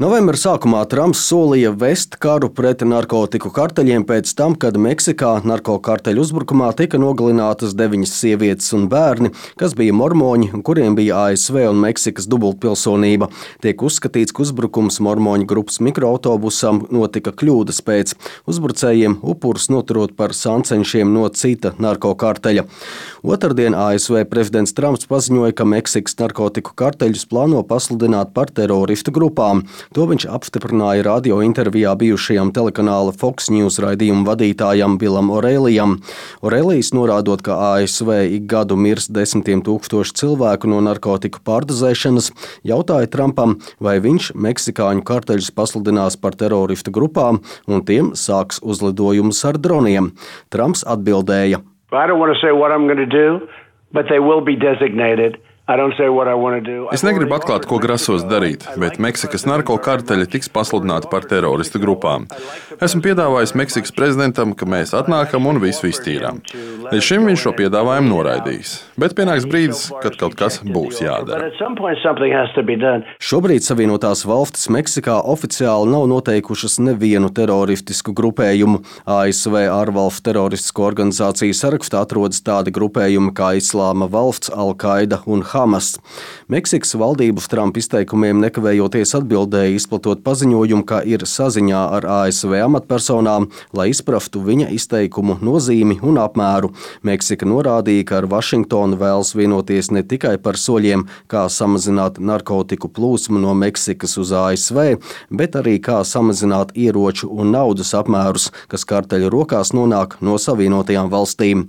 Novembra sākumā Trumps solīja vest karu pret narkotiku karteļiem pēc tam, kad Meksikā narkokarteļu uzbrukumā tika nogalinātas 9 sievietes un bērni, kas bija mormoņi, kuriem bija ASV un Meksikas dubultpilsonība. Tiek uzskatīts, ka uzbrukums mormoņu grupas mikroautobusam notika kļūdas pēc. Uzbrucējiem upurus noturot par sancenšiem no cita narkokarteļa. Otrdien ASV prezidents Trumps paziņoja, ka Meksikas narkotiku karteļus plāno pasludināt par teroristu grupām. To viņš apstiprināja radio intervijā bijušajam telekanāla Fox News raidījuma vadītājam Billam O'Reillyam. O'Reillys norādot, ka ASV ik gadu mirst 10 000 cilvēku no narkotiku pārdozēšanas, jautāja Trumpam, vai viņš meksikāņu karteļus pasludinās par teroristu grupām un tiem sāks uzlidojumus ar droniem. Trumps atbildēja: I don't want to say what I'm going to do, but they will be designated. Es negribu atklāt, ko grasos darīt, bet Meksikas narkokarteļi tiks pasludināti par teroristu grupām. Esmu piedāvājis Meksikas prezidentam, ka mēs atnākam un visu iztīrām. Līdz šim viņš šo piedāvājumu noraidījis, bet pienāks brīdis, kad kaut kas būs jādara. Šobrīd Savienotās valstis Meksikā oficiāli nav noteikušas nevienu teroristisku grupējumu. ASV ārvalstu teroristisko organizāciju sarakstā atrodas tādi grupējumi kā Islāma valsts, Al-Qaida un Hamas. Meksikas valdības Trumpa izteikumiem nekavējoties atbildēja, izplatot paziņojumu, ka ir saziņā ar ASV amatpersonām, lai izprastu viņa izteikumu nozīmi un apmēru. Meksika norādīja, ka ar Vašingtonu vēlas vienoties ne tikai par soļiem, kā samazināt narkotiku plūsmu no Meksikas uz ASV, bet arī kā samazināt ieroču un naudas apmērus, kas karteļu rokās nonāk no Savienotajām valstīm.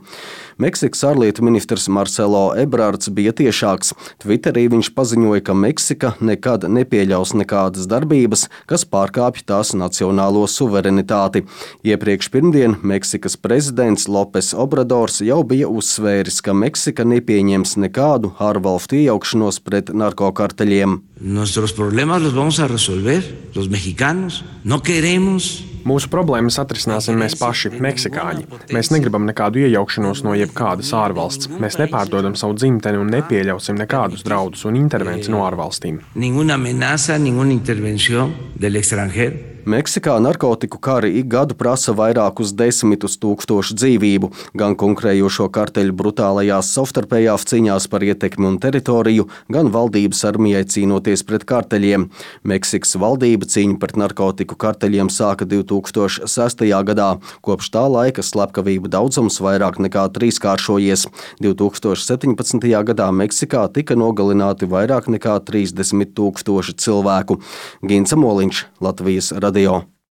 Meksikas ārlietu ministrs Marcelo Ebrards bija tiešāks. Twitterī viņš paziņoja, ka Meksika nekad nepieļaus nekādas darbības, kas pārkāpj tās nacionālo suverenitāti. Iepriekš pirmdien Meksikas prezidents Lopes Obradors jau bija uzsvēris, ka Meksika nepieņems nekādu ārvalstu iejaukšanos pret narkokarteļiem. Nuestros problemas los vamos a resolver, los mexicanos. No queremos. Mūsu problēmas atrisināsim mēs paši, meksikāņi. Mēs negribam nekādu iejaukšanos no jebkādas ārvalsts. Mēs nepārdodam savu dzimteni un nepieļausim nekādus draudus un intervenciju no ārvalstīm. Ninguna amenaza, ninguna intervención del extranjero. Meksikā narkotiku kari ik gadu prasa vairākus 10 000 dzīvību, gan konkurējošo karteļu brutālajās savstarpējās cīņās par ietekmi un teritoriju, gan valdības armijai cīnoties pret karteļiem. Meksikas valdība cīņu pret narkotiku karteļiem sāka 2006. gadā. Kopš tā laika slepkavību daudzums vairāk nekā trīskāršojies. 2017. gadā Meksikā tika nogalināti vairāk nekā 30 000 cilvēku. Gints Moliņš, Latvijas radio.